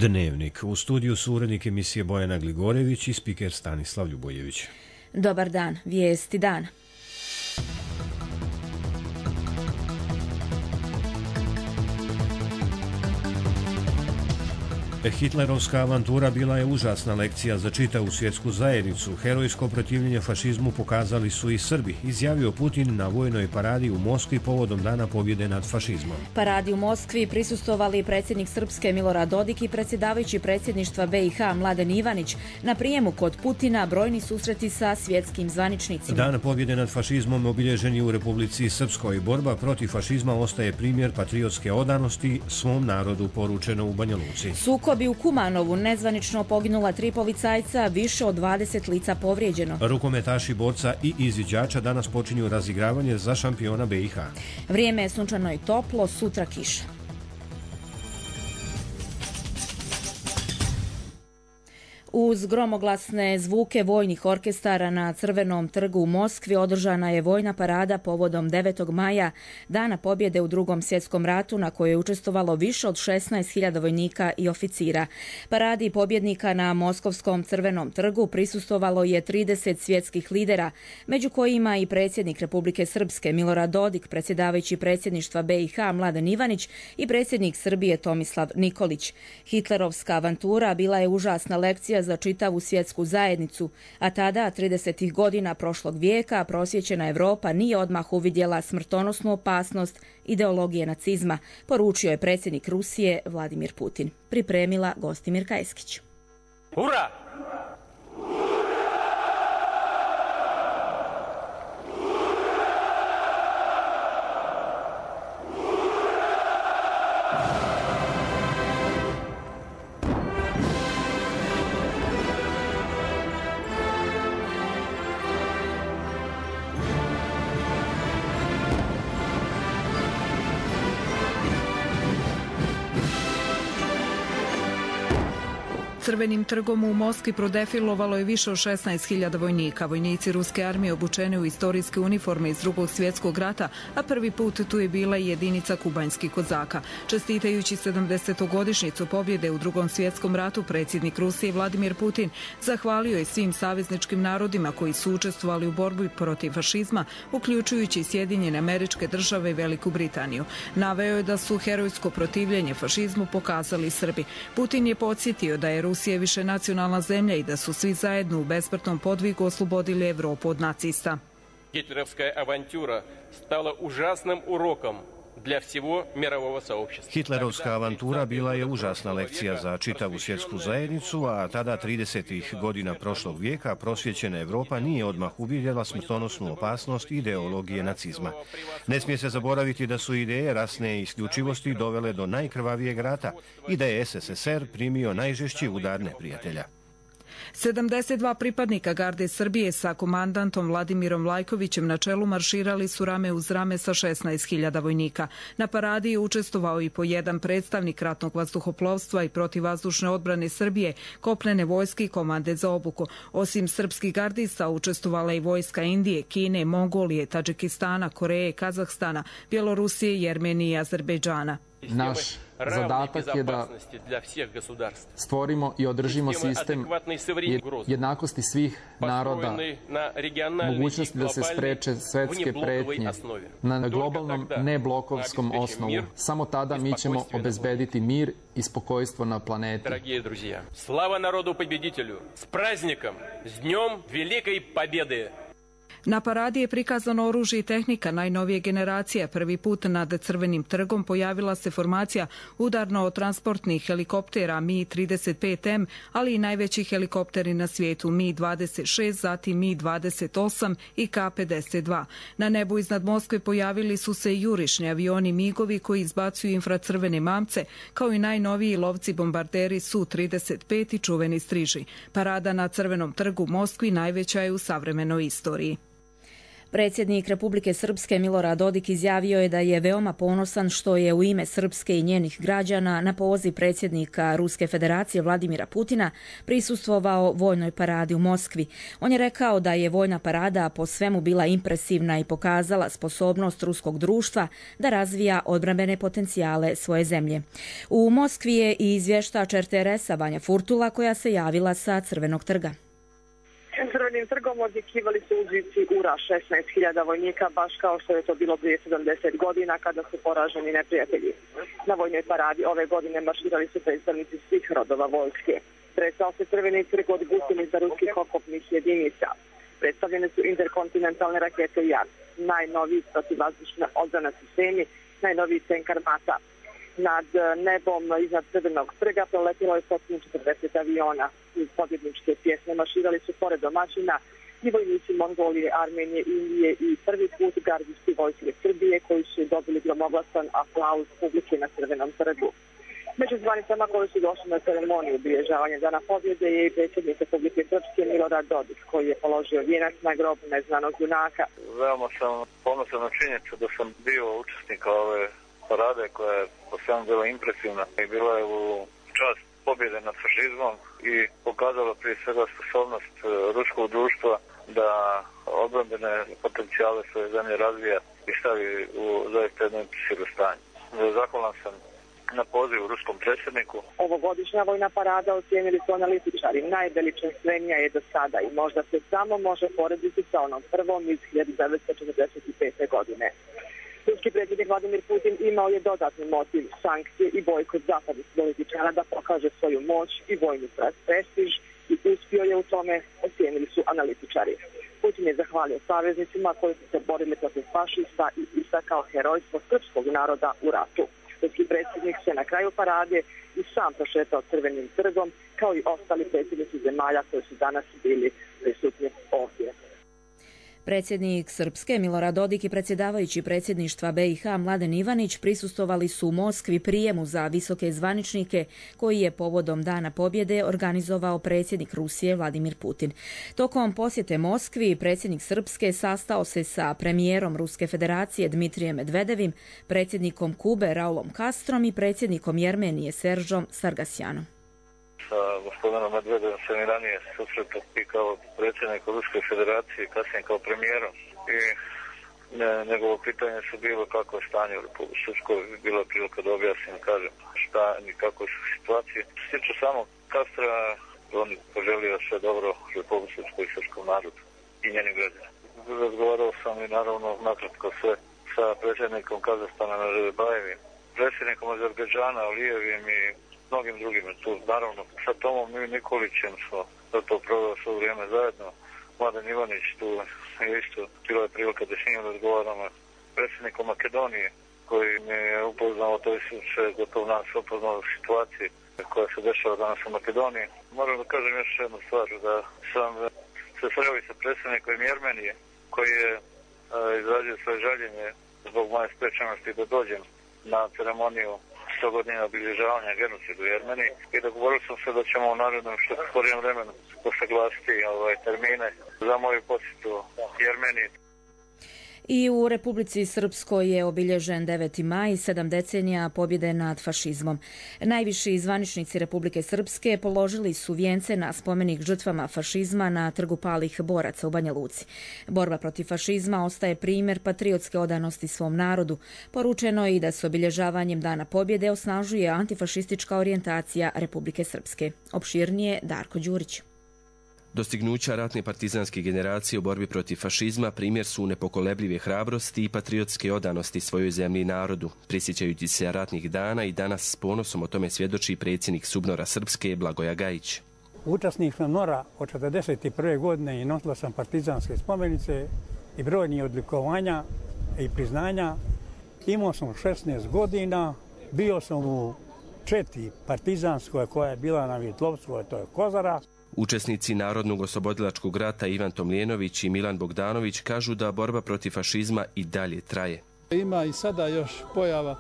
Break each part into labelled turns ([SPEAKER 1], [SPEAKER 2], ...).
[SPEAKER 1] Dnevnik. U studiju su urednik emisije Bojana Gligorević i spiker Stanislav Ljubojević.
[SPEAKER 2] Dobar dan, vijesti dana.
[SPEAKER 1] Hitlerovska avantura bila je užasna lekcija za čitavu svjetsku zajednicu. Herojsko protivljenje fašizmu pokazali su i Srbi, izjavio Putin na vojnoj paradi u Moskvi povodom Dana pobjede nad fašizmom.
[SPEAKER 2] Paradi u Moskvi prisustvovali predsjednik Srpske Milorad Dodik i predsjedavajući predsjedništva BiH Mladen Ivanić. Na prijemu kod Putina brojni susreti sa svjetskim zvaničnicima.
[SPEAKER 1] Dan pobjede nad fašizmom obilježen je u Republici Srpskoj. Borba protiv fašizma ostaje primjer patriotske odanosti svom narodu, poručeno u Banja Luci.
[SPEAKER 2] Sukobi u Kumanovu, nezvanično poginula 3 policajca, više od 20 lica povrijeđeno.
[SPEAKER 1] Rukometaši, borca i izviđača danas počinju razigravanje za šampiona BiH.
[SPEAKER 2] Vrijeme je sunčano i toplo, sutra kiša. Uz gromoglasne zvuke vojnih orkestara na Crvenom trgu u Moskvi održana je vojna parada povodom 9. maja, Dana pobjede u Drugom svjetskom ratu, na kojoj je učestvovalo više od 16.000 vojnika i oficira. Paradi pobjednika na Moskovskom Crvenom trgu prisustvovalo je 30 svjetskih lidera, među kojima i predsjednik Republike Srpske Milorad Dodik, predsjedavajući predsjedništva BiH Mladen Ivanić i predsjednik Srbije Tomislav Nikolić. Hitlerovska avantura bila je užasna lekcija za čitavu svjetsku zajednicu, a tada, 30. godina prošlog vijeka, prosvjećena Europa nije odmah uvidjela smrtonosnu opasnost ideologije nacizma, poručio je predsjednik Rusije Vladimir Putin. Pripremila Gostimir Kajskić.
[SPEAKER 3] Ura!
[SPEAKER 4] Crvenim trgom u Moskvi prodefilovalo je više od 16.000 vojnika. Vojnici ruske armije obučeni u istorijske uniforme iz Drugog svjetskog rata, a prvi put tu je bila i jedinica kubanjskih kozaka. Čestitajući 70-godišnjicu pobjede u Drugom svjetskom ratu, predsjednik Rusije Vladimir Putin zahvalio je svim savezničkim narodima koji su učestvovali u borbi protiv fašizma, uključujući Sjedinjene Američke Države i Veliku Britaniju. Naveo je da su herojsko protivljenje fašizmu pokazali Srbi. Putin je podsjetio da je Rusija više nacionalna zemlja i da su svi zajedno u besmrtnom podvigu oslobodili Evropu od nacista.
[SPEAKER 3] Hitlerovska avantura stala užasnim urokom dla всего мирового сообщества.
[SPEAKER 1] Hitlerovska avantura bila je užasna lekcija za čitavu svjetsku zajednicu, a tada 30. godina prošlog vijeka prosvjećena Evropa nije odmah uvidjela smrtonosnu opasnost ideologije nacizma. Ne smije se zaboraviti da su ideje rasne isključivosti dovele do najkrvavijeg rata i da je SSSR primio najžešći udar neprijatelja.
[SPEAKER 4] 72 pripadnika garde Srbije sa komandantom Vladimirom Lajkovićem na čelu marširali su rame uz rame sa 16.000 vojnika. Na paradi je učestvovao i po jedan predstavnik ratnog vazduhoplovstva i protivvazdušne odbrane Srbije, kopnene vojske i komande za obuku. Osim srpskih gardista učestvovala i vojska Indije, Kine, Mongolije, Tadžikistana, Koreje, Kazahstana, Bjelorusije, Jermenije i Azerbejdžana.
[SPEAKER 5] Naš zadatak je da stvorimo i održimo sistem jednakosti svih naroda, mogućnosti da se spreče svetske pretnje na globalnom neblokovskom osnovu. Samo tada mi ćemo obezbediti mir i spokojstvo na planeti.
[SPEAKER 3] Slava narodu pobjeditelju! S praznikom! S dnjem velike pobjede!
[SPEAKER 4] Na paradi je prikazano oružje i tehnika najnovije generacije. Prvi put nad Crvenim trgom pojavila se formacija udarno-transportnih helikoptera Mi-35M, ali i najveći helikopteri na svijetu Mi-26, zatim Mi-28 i K-52. Na nebu iznad Moskve pojavili su se i jurišni avioni Migovi koji izbacuju infracrvene mamce, kao i najnoviji lovci bombarderi Su-35 i čuveni Striži. Parada na Crvenom trgu u Moskvi najveća je u savremenoj istoriji.
[SPEAKER 2] Predsjednik Republike Srpske Milorad Dodik izjavio je da je veoma ponosan što je u ime Srpske i njenih građana na poziv predsjednika Ruske federacije Vladimira Putina prisustvovao vojnoj paradi u Moskvi. On je rekao da je vojna parada po svemu bila impresivna i pokazala sposobnost ruskog društva da razvija odbrambene potencijale svoje zemlje. U Moskvi je i izvještač RTS-a Vanja Furtula koja se javila sa Crvenog trga.
[SPEAKER 6] Crvenim trgom odjekivali su uzvici ura 16.000 vojnika, baš kao što je to bilo prije 70 godina kada su poraženi neprijatelji. Na vojnoj paradi ove godine marširali su predstavnici svih rodova vojske. Tresao se Crveni trg od gusjenica ruskih okopnih jedinica. Predstavljene su interkontinentalne rakete JAR, najnoviji protivvazdušna odbrana sistemi, najnoviji tenk armata. Nad nebom iznad Crvenog trga proletilo je 140 aviona. Uz pobjedničke pjesme marširali su pored domaćina i vojnici Mongolije, Armenije, Indije i prvi put gardijski vojske Srbije koji su dobili gromoglasan aplauz publike na Crvenom trgu. Među zvanicama koji su došli na ceremoniju obilježavanja Dana pobjede je i predsjednik Republike Srpske Milorad Dodik koji je položio vijenac na grob neznanog junaka.
[SPEAKER 7] Veoma sam ponosan na činjenicu da sam bio učesnik ove parade koja je po svemu bila impresivna i bila je u čast pobjede nad fašizmom i pokazala prije svega sposobnost ruskog društva da odbrambene potencijale svoje zemlje razvija i stavi u zaista jedno impresivno stanje. Zahvalan sam na pozivu ruskom predsjedniku.
[SPEAKER 6] Ovogodišnja vojna parada ocijenili su analitičari. Najveličanstvenija je do sada i možda se samo može porediti sa onom prvom iz 1945. godine. Ruski predsjednik Vladimir Putin imao je dodatni motiv, sankcije i bojkot zapadnih političara da pokaže svoju moć i vojni prestiž i uspio je u tome, ocijenili su analitičari. Putin je zahvalio saveznicima koji su se borili protiv fašista i istakao herojstvo srpskog naroda u ratu. Ruski predsjednik se na kraju parade i sam prošetao Crvenim trgom, kao i ostali predsjednici zemalja koji su danas bili prisutni ovdje.
[SPEAKER 2] Predsjednik Srpske Milorad Dodik i predsjedavajući predsjedništva BiH Mladen Ivanić prisustvovali su u Moskvi prijemu za visoke zvaničnike koji je povodom Dana pobjede organizovao predsjednik Rusije Vladimir Putin. Tokom posjete Moskvi predsjednik Srpske sastao se sa premijerom Ruske federacije Dmitrijem Medvedevim, predsjednikom Kube Raulom Castrom i predsjednikom Jermenije Seržom Sargasjanom.
[SPEAKER 7] Sa gospodinom Medvedevom sam i ranije susretao i kao predsjednik Ruske federacije, kasnije kao premijerom. I njegovo pitanje su bilo kako je stanje u Republici Srpskoj, bila prilika da objasnim, kažem šta i kako su situacije. Što se tiče samog Castra, on poželio sve dobro Republici Srpskoj i srpskom narodu i njenim građanima. Razgovarao sam i naravno nakratko sve sa predsjednikom Kazahstana Nazarbajevim, predsjednikom Azerbejdžana Alijevim i mnogim drugim. Tu, naravno, sa Tomom Nikolićem smo to proveli svo vrijeme zajedno. Mladen Ivanić tu je isto, bila je prilika da s njim razgovaramo. Predsjednikom Makedonije koji mi je upoznao, to je sve gotovo nas upoznao u situaciji koja se dešava danas u Makedoniji. Moram da kažem još jednu stvar, da sam se sreo i sa predsjednikom Jermenije koji je izrazio svoje žaljenje zbog moje sprečenosti da dođem na ceremoniju 100 godina obilježavanja genocida u Jermeniji i dogovorili smo se da ćemo u narednom što skorijem vremenu usaglasiti termine za moju posjetu Jermeniji.
[SPEAKER 2] I u Republici Srpskoj je obilježen 9. maj, 7 decenija pobjede nad fašizmom. Najviši zvaničnici Republike Srpske položili su vijence na spomenik žrtvama fašizma na Trgu palih boraca u Banja Luci. Borba protiv fašizma ostaje primjer patriotske odanosti svom narodu. Poručeno je i da se obilježavanjem Dana pobjede osnažuje antifašistička orijentacija Republike Srpske. Opširnije Darko Đurić.
[SPEAKER 8] Dostignuća ratne partizanske generacije u borbi protiv fašizma primjer su nepokolebljive hrabrosti i patriotske odanosti svojoj zemlji i narodu. Prisjećajući se ratnih dana i danas s ponosom o tome svjedoči predsjednik SUBNOR-a Srpske Blagoja Gajić.
[SPEAKER 9] Učesnik sam NOR-a od 1941. godine i nosila sam partizanske spomenice i brojnih odlikovanja i priznanja. Imao sam 16 godina, bio sam u 4 partizanskoj koja je bila na Vjetlovcu, to je Kozara.
[SPEAKER 8] Učesnici Narodnog oslobodilačkog rata Ivan Tomljenović i Milan Bogdanović kažu da borba protiv fašizma i dalje traje.
[SPEAKER 10] Ima i sada još pojava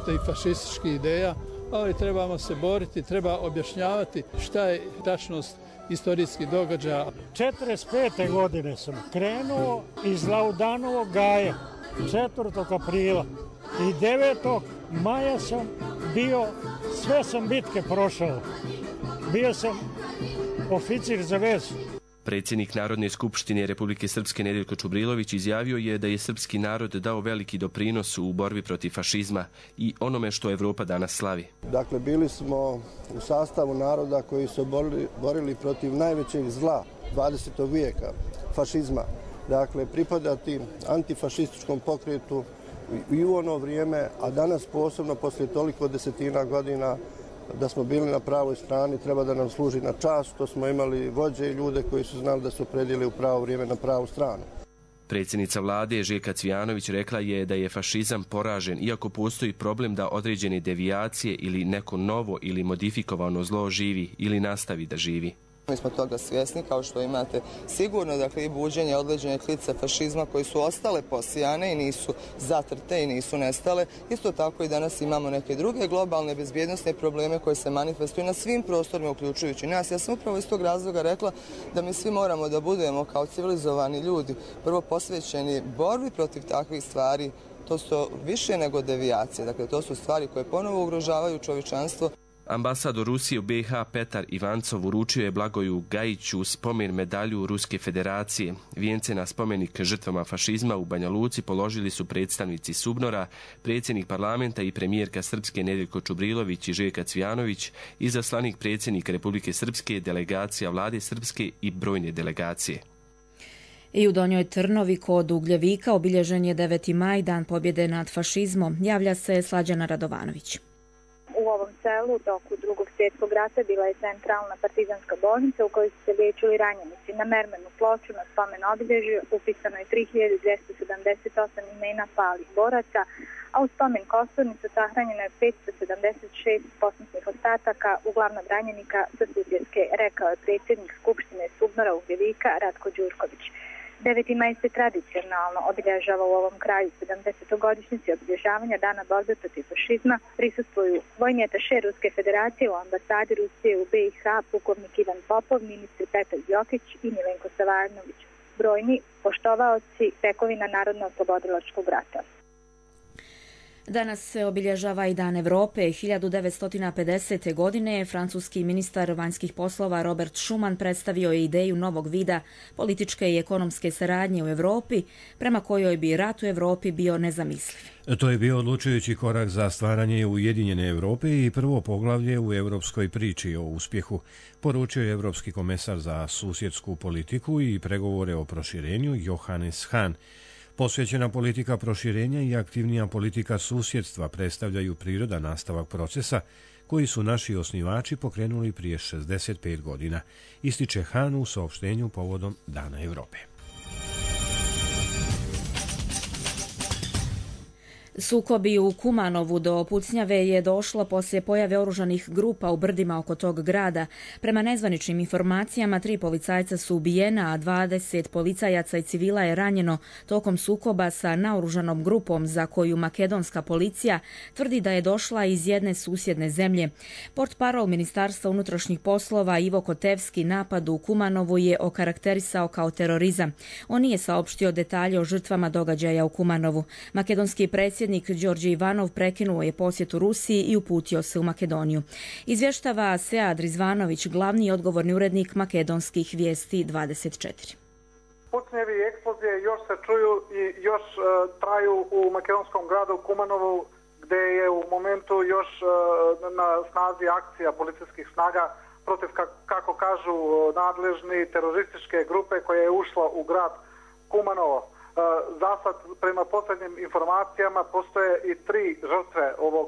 [SPEAKER 10] tih fašističkih ideja ali trebamo se boriti, treba objašnjavati šta je tačnost istorijskih događaja.
[SPEAKER 9] 45. godine sam krenuo iz Laudanovog gaja 4. aprila i 9. maja sam bio, sve sam bitke prošao. Bio sam oficir za vezu.
[SPEAKER 8] Predsjednik Narodne skupštine Republike Srpske Nedeljko Čubrilović izjavio je da je srpski narod dao veliki doprinos u borbi protiv fašizma i onome što Evropa danas slavi.
[SPEAKER 11] Dakle, bili smo u sastavu naroda koji su borili protiv najvećeg zla 20. vijeka, fašizma. Dakle, pripadati antifašističkom pokretu i u ono vrijeme, a danas posebno poslije toliko desetina godina da smo bili na pravoj strani, treba da nam služi na čast što smo imali vođe i ljude koji su znali da su predili u pravo vrijeme na pravu stranu.
[SPEAKER 8] Predsjednica vlade Željka Cvijanović rekla je da je fašizam poražen, iako postoji problem da određene devijacije ili neko novo ili modifikovano zlo živi ili nastavi da živi.
[SPEAKER 12] Mi smo toga svjesni, kao što imate sigurno, dakle, i buđenje određene klice fašizma koji su ostale posijane i nisu zatrte i nisu nestale. Isto tako i danas imamo neke druge globalne bezbjednosne probleme koje se manifestuju na svim prostorima, uključujući nas. Ja sam upravo iz tog razloga rekla da mi svi moramo da budemo kao civilizovani ljudi prvo posvećeni borbi protiv takvih stvari. To su više nego devijacije, dakle to su stvari koje ponovo ugrožavaju čovječanstvo.
[SPEAKER 8] Ambasador Rusije u BiH Petar Ivancov uručio je Blagoju Gajiću spomen medalju Ruske federacije. Vijence na spomenik žrtvama fašizma u Banja Luci položili su predstavnici SUBNOR-a, predsjednik parlamenta i premijerka Srpske Nedeljko Čubrilović i Željka Cvijanović, izaslanik predsjednika Republike Srpske, delegacija vlade Srpske i brojne delegacije.
[SPEAKER 2] I u Donjoj Trnovi kod Ugljevika obilježen je 9. maj, dan pobjede nad fašizmom. Javlja se Slađana Radovanović.
[SPEAKER 13] U ovom selu u toku Drugog svjetskog rata bila je centralna partizanska bolnica u kojoj su se liječili ranjenici. Na mermenu ploču na spomen obilježju upisano je 3278 imena palih boraca, a u spomen kosturnicu sahranjeno je 576 posmrtnih ostataka, uglavnom ranjenika sa Sutjeske, rekao je predsjednik Skupštine SUBNOR-a Ugljevika Ratko Đurković. 9. maj se tradicionalno obilježava u ovom kraju. 70-godišnjici obilježavanja dana borbe protiv fašizma prisustvuju vojni ataše Ruske federacije u ambasadi Rusije u BiH, pukovnik Ivan Popov, ministri Petar Đokić i Milenko Savarnović. Brojni poštovaoci tekovina Narodno-oslobodilačkog rata.
[SPEAKER 2] Danas se obilježava i Dan Evrope. 1950. godine francuski ministar vanjskih poslova Robert Schuman predstavio je ideju novog vida političke i ekonomske saradnje u Europi, prema kojoj bi rat u Europi bio nezamisliv.
[SPEAKER 1] To je bio odlučujući korak za stvaranje Ujedinjene Europe i prvo poglavlje u europskoj priči o uspjehu, poručio je europski komesar za susjedsku politiku i pregovore o proširenju Johannes Hahn. Posvećena politika proširenja i aktivnija politika susjedstva predstavljaju prirodan nastavak procesa koji su naši osnivači pokrenuli prije 65 godina, ističe Hahn u saopštenju povodom Dana Europe.
[SPEAKER 2] Sukobi u Kumanovu do pucnjave je došlo poslije pojave oružanih grupa u brdima oko tog grada. Prema nezvaničnim informacijama 3 policajca su ubijena, a 20 policajaca i civila je ranjeno tokom sukoba sa naoružanom grupom za koju makedonska policija tvrdi da je došla iz jedne susjedne zemlje. Portparol Ministarstva unutrašnjih poslova Ivo Kotevski napad u Kumanovu je okarakterisao kao terorizam. On nije saopštio detalje o žrtvama događaja u Kumanovu. Makedonski predsjednik Đorđe Ivanov prekinuo je posjetu Rusiji i uputio se u Makedoniju. Izvještava Sead Rizvanović, glavni i odgovorni urednik makedonskih vijesti 24.
[SPEAKER 14] Pucnjevi i eksplozije još se čuju i još traju u makedonskom gradu Kumanovu, gdje je u momentu još na snazi akcija policijskih snaga protiv, kako kažu nadležni, terorističke grupe koja je ušla u grad Kumanovo. Zasad, prema posljednjim informacijama, postoje i 3 žrtve ovog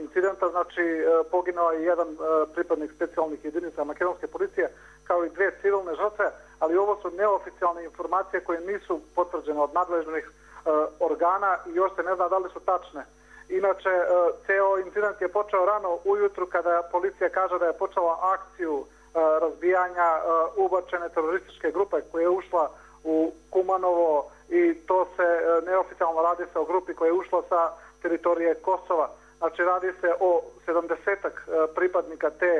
[SPEAKER 14] incidenta, znači poginuo je jedan pripadnik specijalnih jedinica makedonske policije, kao i 2 civilne žrtve, ali ovo su neoficijalne informacije koje nisu potvrđene od nadležnih organa i još se ne zna da li su tačne. Inače, ceo incident je počeo rano ujutru kada policija kaže da je počela akciju razbijanja ubačene terorističke grupe koja je ušla u Kumanovo i to se neoficijalno radi se o grupi koja je ušla sa teritorije Kosova. Znači radi se o 70-ak pripadnika te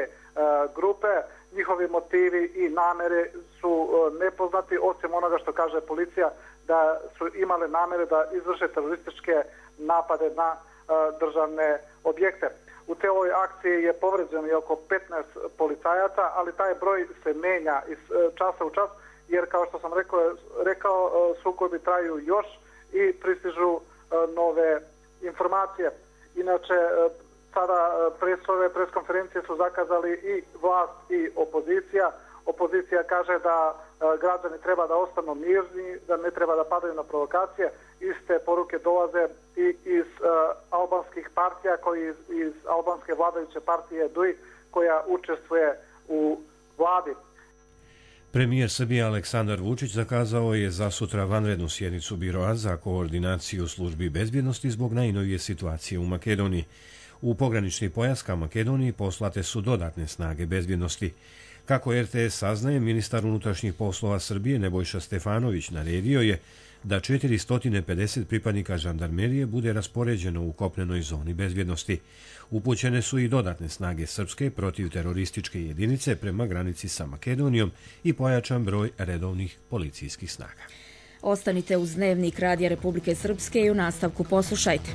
[SPEAKER 14] grupe. Njihovi motivi i namere su nepoznati, osim onoga što kaže policija da su imale namere da izvrše terorističke napade na državne objekte. U cijeloj akciji je povređeno i oko 15 policajaca, ali taj broj se menja iz časa u čas, jer kao što sam rekao sukobi traju još i pristižu nove informacije. Inače, sada ove preskonferencije su zakazali i vlast i opozicija. Opozicija kaže da građani treba da ostanu mirni, da ne treba da padaju na provokacije. Iste poruke dolaze i iz albanskih partija, koji iz albanske vladajuće partije DUI, koja učestvuje u vladi.
[SPEAKER 1] Premijer Srbije Aleksandar Vučić zakazao je za sutra vanrednu sjednicu Biroa za koordinaciju službi bezbjednosti zbog najnovije situacije u Makedoniji. U pogranični pojas ka Makedoniji poslate su dodatne snage bezbjednosti. Kako RTS saznaje, ministar unutrašnjih poslova Srbije Nebojša Stefanović naredio je da 450 pripadnika žandarmerije bude raspoređeno u kopnenoj zoni bezbjednosti. Upućene su i dodatne snage srpske protivterorističke jedinice prema granici sa Makedonijom i pojačan broj redovnih policijskih snaga.
[SPEAKER 2] Ostanite uz Dnevnik Radija Republike Srpske i u nastavku poslušajte.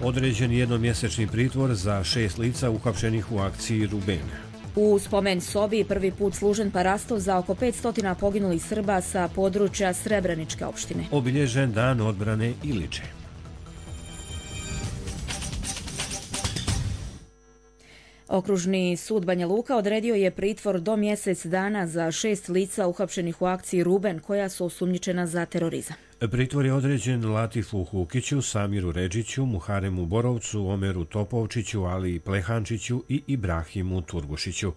[SPEAKER 1] Određen jednomjesečni pritvor za 6 lica uhapšenih u akciji Ruben.
[SPEAKER 2] U spomen sobi prvi put služen parastov za oko 500 poginulih Srba sa područja Srebreničke opštine.
[SPEAKER 1] Obilježen dan odbrane Iliče.
[SPEAKER 2] Okružni sud Banja Luka odredio je pritvor do mjesec dana za 6 lica uhapšenih u akciji Ruben, koja su osumnjičena za terorizam.
[SPEAKER 1] Pritvor je određen Latifu Hukiću, Samiru Redžiću, Muharemu Borovcu, Omeru Topovčiću, Ali Plehančiću i Ibrahimu Turgušiću.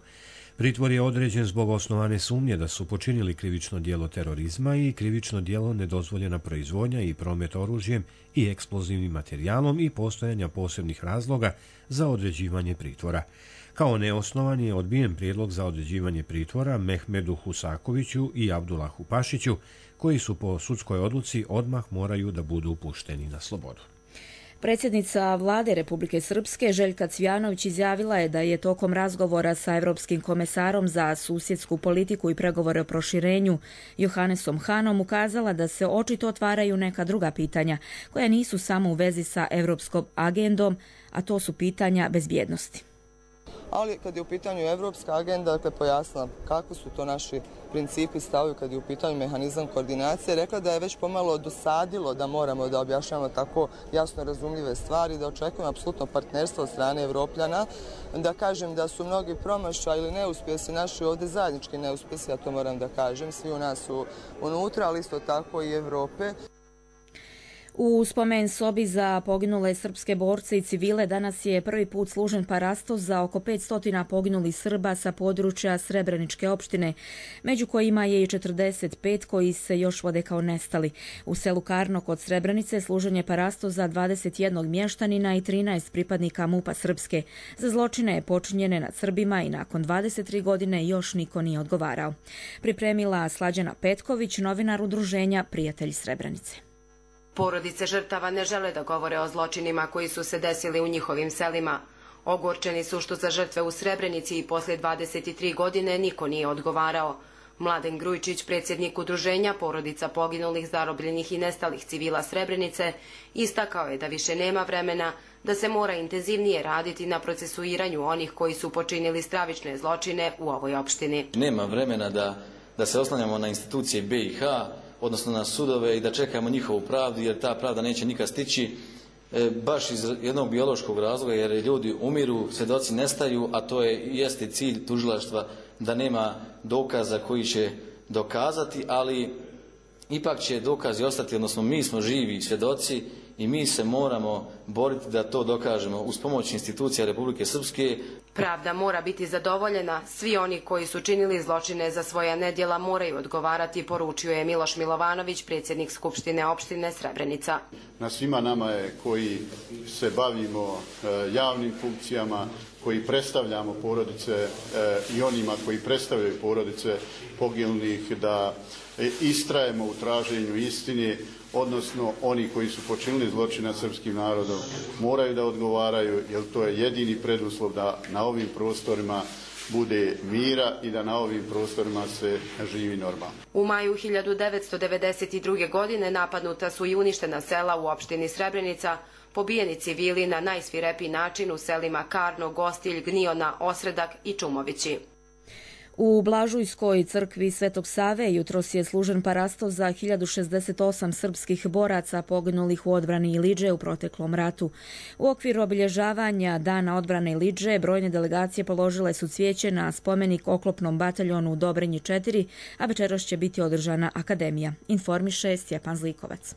[SPEAKER 1] Pritvor je određen zbog osnovane sumnje da su počinili krivično djelo terorizma i krivično djelo nedozvoljena proizvodnja i promet oružjem i eksplozivnim materijalom i postojanja posebnih razloga za određivanje pritvora. Kao neosnovan je odbijen prijedlog za određivanje pritvora Mehmedu Husakoviću i Abdulahu Pašiću, koji su po sudskoj odluci odmah moraju da budu pušteni na slobodu.
[SPEAKER 2] Predsjednica vlade Republike Srpske Željka Cvjanović izjavila je da je tokom razgovora sa Evropskim komesarom za susjedsku politiku i pregovore o proširenju Johannesom Hanom ukazala da se očito otvaraju neka druga pitanja koja nisu samo u vezi sa evropskom agendom, a to su pitanja bezbjednosti.
[SPEAKER 12] Ali kad je u pitanju evropska agenda, dakle pojasnila kako su to naši principi stavovi kad je u pitanju mehanizam koordinacije, rekla da je već pomalo dosadilo da moramo da objašnjavamo tako jasno razumljive stvari, da očekujemo apsolutno partnerstvo od strane Evropljana, da kažem da su mnogi promašaji ili neuspjesi naši ovdje zajednički neuspjesi, ja to moram da kažem, svi u nas su unutra, ali isto tako i Evrope.
[SPEAKER 2] U spomen sobi za poginule srpske borce i civile danas je prvi put služen parastov za oko 500 poginulih Srba sa područja Srebreničke opštine, među kojima je i 45 koji se još vode kao nestali. U selu Karno kod Srebrenice služen je parastov za 21 mještanina i 13 pripadnika MUP-a Srpske. Za zločine je počinjene nad Srbima i nakon 23 godine još niko nije odgovarao. Pripremila Slađana Petković, novinar udruženja Prijatelji Srebrenice.
[SPEAKER 15] Porodice žrtava ne žele da govore o zločinima koji su se desili u njihovim selima. Ogorčeni su što za žrtve u Srebrenici i poslije 23 godine niko nije odgovarao. Mladen Grujčić, predsjednik udruženja porodica poginulih, zarobljenih i nestalih civila Srebrenice, istakao je da više nema vremena, da se mora intenzivnije raditi na procesuiranju onih koji su počinili stravične zločine u ovoj opštini.
[SPEAKER 16] Nema vremena da se oslanjamo na institucije BiH, odnosno na sudove i da čekamo njihovu pravdu, jer ta pravda neće nikad stići, baš iz jednog biološkog razloga, jer ljudi umiru, svjedoci nestaju, a to jeste cilj tužilaštva, da nema dokaza koji će dokazati, ali ipak će dokazi ostati, odnosno mi smo živi svjedoci i mi se moramo boriti da to dokažemo uz pomoć institucija Republike Srpske.
[SPEAKER 15] Pravda mora biti zadovoljena, svi oni koji su činili zločine za svoja nedjela moraju odgovarati, poručio je Miloš Milovanović, predsjednik Skupštine opštine Srebrenica.
[SPEAKER 17] Na svima nama je koji se bavimo javnim funkcijama, koji predstavljamo porodice i onima koji predstavljaju porodice poginulih, da istrajemo u traženju istine, odnosno oni koji su počinili zločin nad srpskim narodom moraju da odgovaraju, jer to je jedini preduslov da na ovim prostorima bude mira i da na ovim prostorima se živi normalno.
[SPEAKER 15] U maju 1992. godine napadnuta su i uništena sela u opštini Srebrenica, pobijeni civili na najsvirepiji način u selima Karno, Gostilj, Gniona, Osredak i Čumovići.
[SPEAKER 2] U Blažujskoj crkvi Svetog Save jutros je služen parasto za 1068 srpskih boraca poginulih u odbrani Ilidže u proteklom ratu. U okviru obilježavanja Dana odbrane Ilidže brojne delegacije položile su cvijeće na spomenik oklopnom bataljonu u Dobrinji 4, a večeras će biti održana akademija, informiše Stjepan Zlikovac.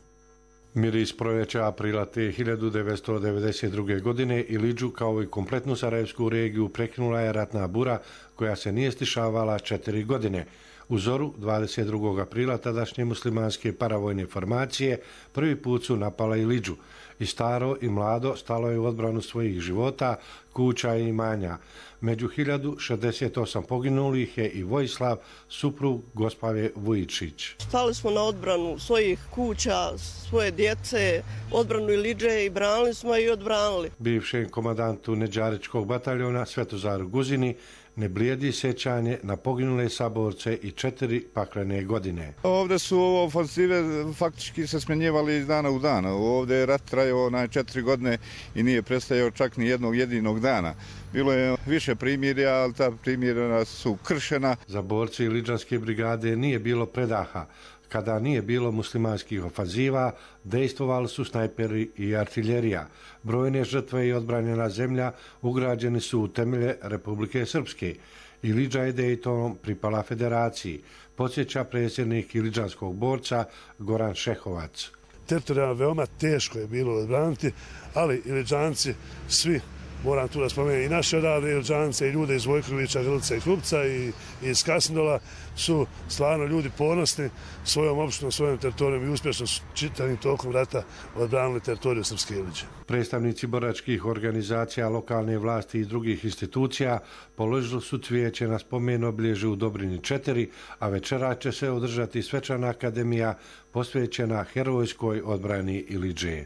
[SPEAKER 18] Miris proljeća aprila te 1992. godine Ilidžu kao i kompletnu Sarajevsku regiju prekinula je ratna bura koja se nije stišavala 4 godine. U zoru 22. aprila tadašnje muslimanske paravojne formacije prvi put su napala Ilidžu. I staro i mlado stalo je u odbranu svojih života, kuća i imanja. Među 1068 poginulih je i Vojislav, suprug Gospave Vujičić.
[SPEAKER 19] Stali smo na odbranu svojih kuća, svoje djece, odbranu Ilidže i branili smo i odbranili.
[SPEAKER 18] Bivšem komandantu Neđaričkog bataljona Svetozaru Guzini ne blijedi sjećanje na poginule saborce i 4 paklene godine.
[SPEAKER 20] Ovdje su ofenzive faktički se smjenjivali iz dana u dan. Ovdje je rat trajao na 4 godine i nije prestajao čak ni jednog jedinog dana. Bilo je više primirja, ali ta primirja su kršena.
[SPEAKER 18] Za borci Ilidžanske brigade nije bilo predaha. Kada nije bilo muslimanskih ofanziva, dejstvovali su snajperi i artiljerija. Brojne žrtve i odbranjena zemlja ugrađeni su u temelje Republike Srpske. Ilidža je Dejtonom pripala federaciji, podsjeća predsjednik ilidžanskog borca Goran Šehovac.
[SPEAKER 21] Teritorijalno veoma teško je bilo odbraniti, ali Ilidžanci svi, moram tu da spomenem, i naše odavde Ilidžance i ljude iz Vojkovića, Grlica i Klupca i iz Kasndola su stvarno ljudi ponosni svojom opštinom, svojom teritorijom i uspješno su čitavim tokom rata odbranili teritoriju Srpske Ilidže.
[SPEAKER 18] Predstavnici boračkih organizacija, lokalne vlasti i drugih institucija položili su cvijeće na spomen obilježju u Dobrinji 4, a večera će se održati svečana akademija posvećena herojskoj odbrani Ilidže.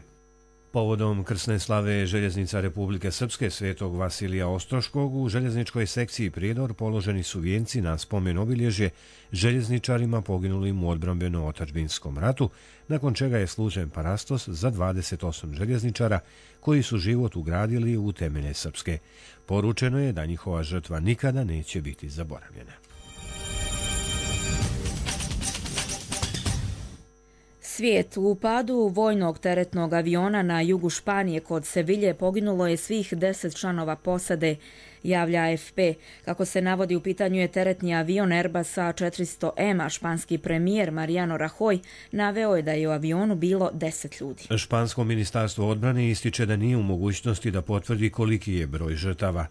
[SPEAKER 1] Povodom krsne slave željeznica Republike Srpske Svetog Vasilija Ostroškog u željezničkoj sekciji Prijedor položeni su vijenci na spomen obilježje željezničarima poginulim u odbrambeno-otadžbinskom ratu, nakon čega je služen parastos za 28 željezničara koji su život ugradili u temelje Srpske. Poručeno je da njihova žrtva nikada neće biti zaboravljena.
[SPEAKER 2] Svijet. U padu vojnog teretnog aviona na jugu Španije kod Sevilje poginulo je svih 10 članova posade, javlja AFP. Kako se navodi, u pitanju je teretni avion Airbusa 400M, a španski premijer Mariano Rajoy naveo je da je u avionu bilo 10 ljudi.
[SPEAKER 1] Špansko ministarstvo odbrane ističe da nije u mogućnosti da potvrdi koliki je broj žrtava.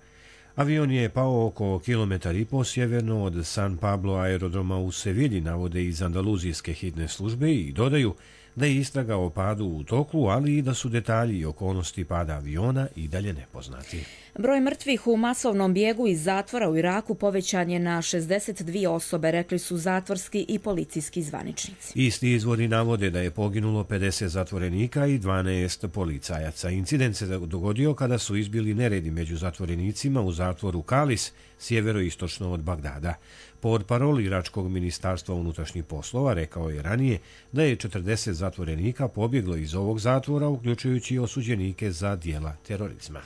[SPEAKER 1] Avion je pao oko kilometar i po sjeverno od San Pablo aerodroma u Sevilji, navode iz andaluzijske hitne službe i dodaju da je istraga o padu u toku, ali i da su detalji i okolnosti pada aviona i dalje nepoznati.
[SPEAKER 2] Broj mrtvih u masovnom bijegu iz zatvora u Iraku povećan je na 62 osobe, rekli su zatvorski i policijski zvaničnici.
[SPEAKER 1] Isti izvori navode da je poginulo 50 zatvorenika i 12 policajaca. Incident se dogodio kada su izbili neredi među zatvorenicima u zatvoru Kalis, sjeveroistočno od Bagdada. Portparol iračkog ministarstva unutrašnjih poslova rekao je ranije da je 40 zatvorenika pobjeglo iz ovog zatvora, uključujući osuđenike za djela terorizma.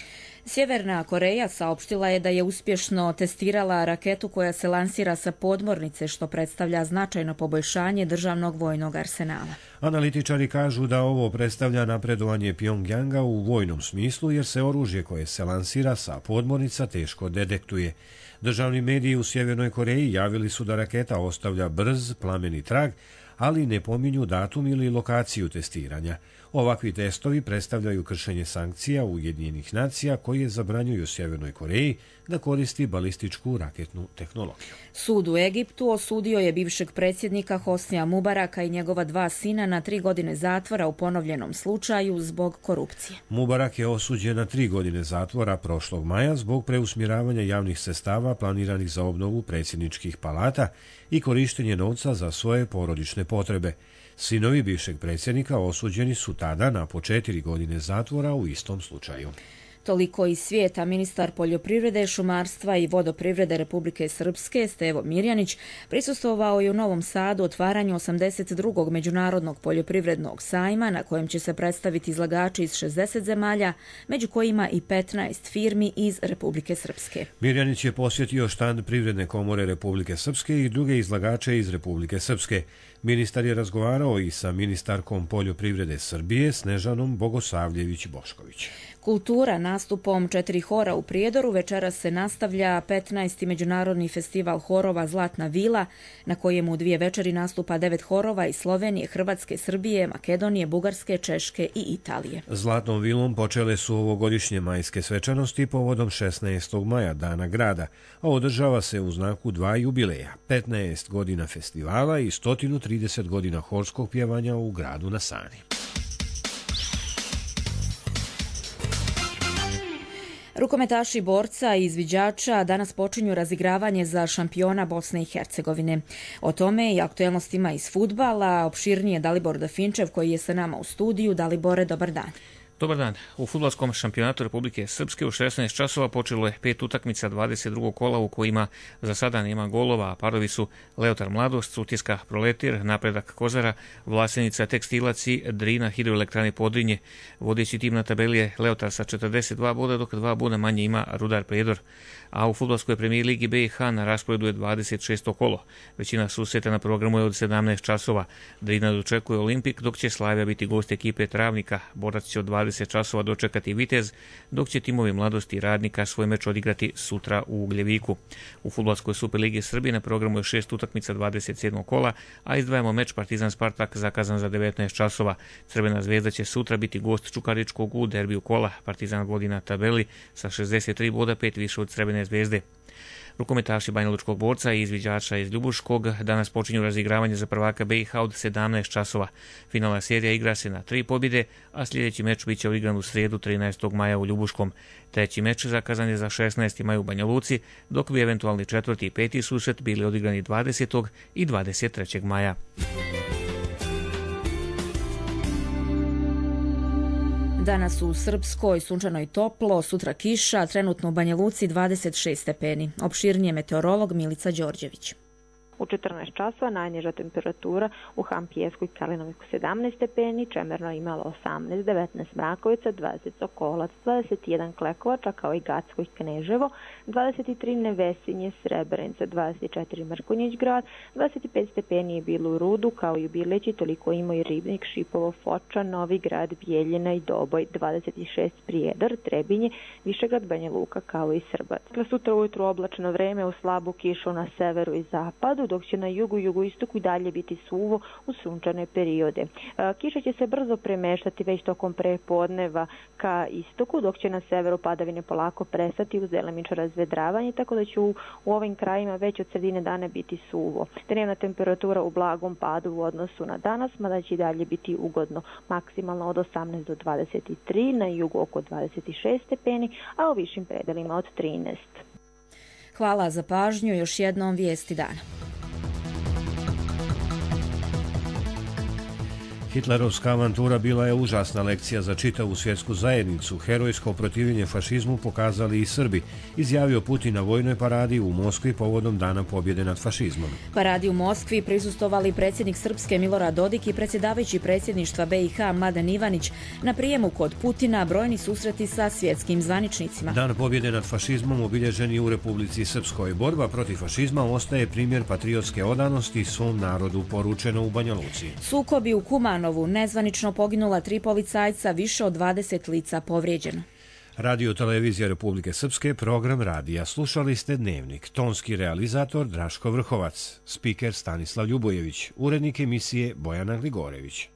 [SPEAKER 2] Sjeverna Koreja saopštila je da je uspješno testirala raketu koja se lansira sa podmornice, što predstavlja značajno poboljšanje državnog vojnog arsenala.
[SPEAKER 1] Analitičari kažu da ovo predstavlja napredovanje Pjongjanga u vojnom smislu, jer se oružje koje se lansira sa podmornica teško detektuje. Državni mediji u Sjevernoj Koreji javili su da raketa ostavlja brz, plameni trag, ali ne pominju datum ili lokaciju testiranja. Ovakvi testovi predstavljaju kršenje sankcija Ujedinjenih nacija koje zabranjuju Sjevernoj Koreji da koristi balističku raketnu tehnologiju.
[SPEAKER 2] Sud u Egiptu osudio je bivšeg predsjednika Hosnija Mubaraka i njegova 2 sina na 3 godine zatvora u ponovljenom slučaju zbog korupcije.
[SPEAKER 1] Mubarak je osuđen na 3 godine zatvora prošlog maja zbog preusmjeravanja javnih sredstava planiranih za obnovu predsjedničkih palata i korištenje novca za svoje porodične potrebe. Sinovi bivšeg predsjednika osuđeni su tada na po 4 godine zatvora u istom slučaju.
[SPEAKER 2] Toliko iz svijeta. Ministar poljoprivrede, šumarstva i vodoprivrede Republike Srpske Stevo Mirjanić prisustvovao je u Novom Sadu otvaranju 82. međunarodnog poljoprivrednog sajma na kojem će se predstaviti izlagači iz 60 zemalja, među kojima i 15 firmi iz Republike Srpske.
[SPEAKER 1] Mirjanić je posjetio štand Privredne komore Republike Srpske i druge izlagače iz Republike Srpske. Ministar je razgovarao i sa ministarkom poljoprivrede Srbije Snežanom Bogosavljević-Bošković.
[SPEAKER 2] Kultura nastupom 4 hora u Prijedoru večeras se nastavlja 15. međunarodni festival horova Zlatna vila, na kojemu u 2 večeri nastupa 9 horova iz Slovenije, Hrvatske, Srbije, Makedonije, Bugarske, Češke i Italije.
[SPEAKER 1] Zlatnom vilom počele su ovogodišnje majske svečanosti povodom 16. maja, Dana grada, a održava se u znaku 2 jubileja, 15 godina festivala i 130 godina horskog pjevanja u gradu na Sani.
[SPEAKER 2] Rukometaši borca i izviđača danas počinju razigravanje za šampiona Bosne i Hercegovine. O tome i aktuelnostima iz fudbala opširnije Dalibor Dafinčev koji je sa nama u studiju. Dalibore, dobar dan.
[SPEAKER 5] Dobar dan. U fudbalskom šampionatu Republike Srpske u 16 časova počelo je 5 utakmica 22. kola u kojima za sada nema golova, a parovi su Leotar Mladost, Sutjeska Proletir, Napredak Kozara, Vlasenica Tekstilac i Drina Hidroelektrane Podrinje. Vodeći tim na tabeli je Leotar sa 42 boda, dok 2 boda manje ima Rudar Prijedor. A u fudbalskoj premijer ligi BiH na rasporedu je 26. kolo. Većina susreta na programu je od 17 časova. Drina dočekuje Olimpik, dok će Slavija biti gost ekipe Travnika. Borac će od 20 časova dočekati Vitez, dok će timovi Mladosti i Radnika svoj meč odigrati sutra u Ugljeviku. U fudbalskoj Superligi Srbije na programu je 6 utakmica 27. kola, a izdvajamo meč Partizan Spartak zakazan za 19 časova. Crvena zvezda će sutra biti gost Čukaričkog u derbiju kola. Partizan vodi na tabeli sa 63 boda, 5 više od Crvene zvezde. Rukometaši Banjalučkog borca i izviđača iz Ljubuškog danas počinju razigravanje za prvaka BiH od 17 časova. Finalna serija igra se na 3 pobjede, a sljedeći meč biće odigran u srijedu 13. maja u Ljubuškom. Treći meč zakazan je za 16. maj u Banja Luci, dok bi eventualni 4. i 5. susret bili odigrani 20. i 23. maja.
[SPEAKER 2] Danas u Srpskoj sunčano i toplo, sutra kiša, trenutno u Banja Luci 26 stepeni. Opširnije meteorolog Milica Đorđević.
[SPEAKER 22] U 14 časova najniža temperatura u Hampijesku i Kalinoviku 17 stepeni, Čemerno imalo 18, 19 Mrakovica, 20 Sokolac, 21 Klekovača kao i Gacko i Kneževo, 23 Nevesinje, Srebrenica, 24 Mrkonjić grad, 25 stepeni je bilo u Rudu kao i u Bileći, toliko ima i Ribnik, Šipovo, Foča, Novi grad, Bijeljina i Doboj, 26 Prijedor, Trebinje, Višegrad, Banja Luka kao i Srbac. Sutra ujutru oblačno vreme u slabu kišu na severu i zapadu, dok će na jugu i jugoistoku dalje biti suvo u sunčane periode. Kiša će se brzo premeštati već tokom prepodneva ka istoku, dok će na severu padavine polako prestati uz delimično razvedravanje, tako da će u ovim krajima već od sredine dana biti suvo. Dnevna temperatura u blagom padu u odnosu na danas, mada će i dalje biti ugodno, maksimalno od 18 do 23, na jugu oko 26 stepeni, a u višim predelima od 13.
[SPEAKER 2] Hvala za pažnju, još jednom vijesti dana.
[SPEAKER 1] Hitlerovska avantura bila je užasna lekcija za čitavu svjetsku zajednicu. Herojsko protivljenje fašizmu pokazali i Srbi, izjavio Putin na vojnoj paradi u Moskvi povodom Dana pobjede nad fašizmom.
[SPEAKER 2] Paradi u Moskvi prisustvovali predsjednik Srpske Milorad Dodik i predsjedavajući predsjedništva BiH Mladen Ivanić. Na prijemu kod Putina brojni susreti sa svjetskim zvaničnicima.
[SPEAKER 1] Dan pobjede nad fašizmom obilježen je u Republici Srpskoj. Borba protiv fašizma ostaje primjer patriotske odanosti svom narodu, poručeno u Banja Luci.
[SPEAKER 2] Sukobi u Kumanovu, nezvanično poginula 3 policajca, više od 20 lica povrijeđeno.
[SPEAKER 1] Radio Televizija Republike Srpske, program radija. Slušali ste Dnevnik. Tonski realizator Draško Vrhovac, spiker Stanislav Ljubojević, urednik emisije Bojana Gligorević.